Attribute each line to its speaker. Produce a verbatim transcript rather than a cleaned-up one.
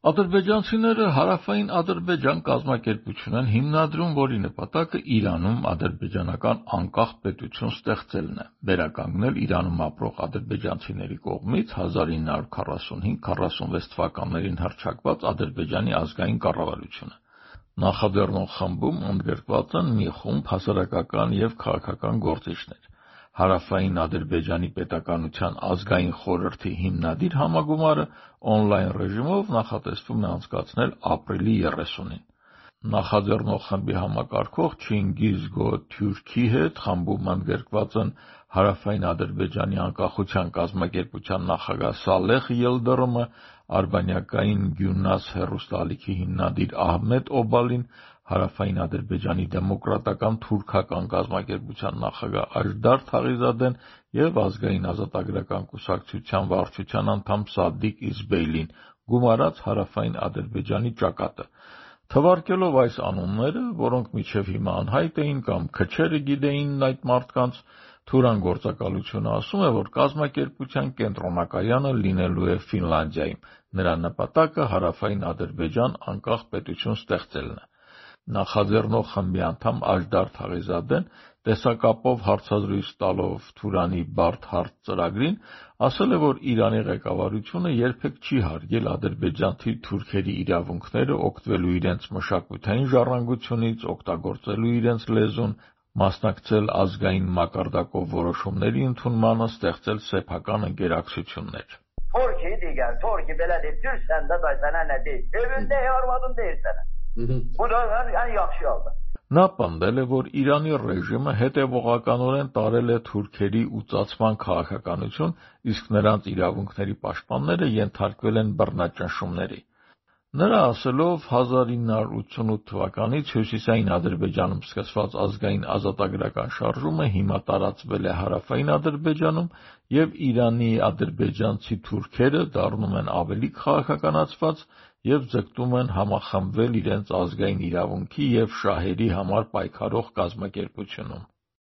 Speaker 1: Ադրբեջանցիները Հարավային Ադրբեջան կազմակերպություն են հիմնադրում, որի նպատակը Իրանում ադրբեջանական անկախ պետություն ստեղծելն է, վերականգնել Իրանում ապրող ադրբեջանցիների կողմից հազար ինը հարյուր քառասունհինգ քառասունվեց թվականներին հռչակված Ադրբեջանի ազգային կառավարությունը։ Նախաձեռնող խմբում ընդգրկված են մի խումբ հասարակական և քաղաքական գործիչներ։ Հարավային Ադրբեջանի պետականության ազգային խորհրդի հիմնադիր համագումարը օնլայն ռեժիմով նախատեսվում է անցկացնել ապրիլի երեսունին։ Նախաձեռնող խմբի համակարգող Չինգիզ Գո-Թյուրքի հետ խմբում ընդգրկված են Հարավային Ադրբեջանի անկախության կազմակերպության նախագահ Սալեհ Ելդրոմը, արբանյակային Գյունաս հեռուստաալիքի հիմնադիր Ահմեդ Օբալին, Հարավային Ադրբեջանի դեմոկրատական թուրքական կազմակերպության նախագահ Աժդար Թաղիզադեն և Ազգային ազատագրական կուսակցության վարչության անդամ Սադիկ Իզբեյլին, գումարած Հարավային Ադրբեջանի ճակատը։ Թվարկելով այս անունները, որոնք մինչև հիմա անհայտ էին կամ քչերը գիտեին այդ մարդկանց, Թուրան գործակալությունը ասում է, որ կազմակերպության կենտրոնակայանը լինելու է Ֆինլանդիայում, նրա նպատակը Հարավային Ադրբեջան անկախ պետություն ստեղծելն է։ Նախաձեռնող խմբի անդամ Աժդար Թաղիզադեն, տեսակապով հարցազրույց տալով Թուրանի «Բարդ հարց» ծրագրին, ասել է, որ Իրանի ղեկավարությունը երբեք չի հարգել ադրբեջանցի թուրքերի իրավունքները օգտվելու իրենց մշակութային ժառանգությունից, օգտագործելու իրենց լեզուն, մասնակցել ազգային մակարդակով որոշումների ընդունմանը, ստեղծել սեփական ընկերակցություններ։
Speaker 2: Թուրքի դիգər, Թուրքի belə deyib, Türksən də day sənə nə deyib, evində arvadın deyir sənə։ Bu da ən yaxşı yolda։
Speaker 1: Նա պնդել է, որ Իրանի ռեժիմը հետևողականորեն տարել է թուրքերի ուծացման քաղաքականություն, իսկ նրանց իրավունքների պաշտպանները ենթարկվել են բռնաճնշումների։ Նրա ասելով, հազար ինը հարյուր ութսունութ թվականից Հյուսիսային Ադրբեջանում սկսված ազգային ազատագրական շարժումը հիմա տարածվել է Հարավային Ադրբեջանում, և Իրանի ադրբեջանցի թուրքերը դառնում են ավելի քաղաքականացված և ձգտում են համախմբվել իրենց ազգային իրավունքի և շահերի համար պայքարող կազմակերպությունում։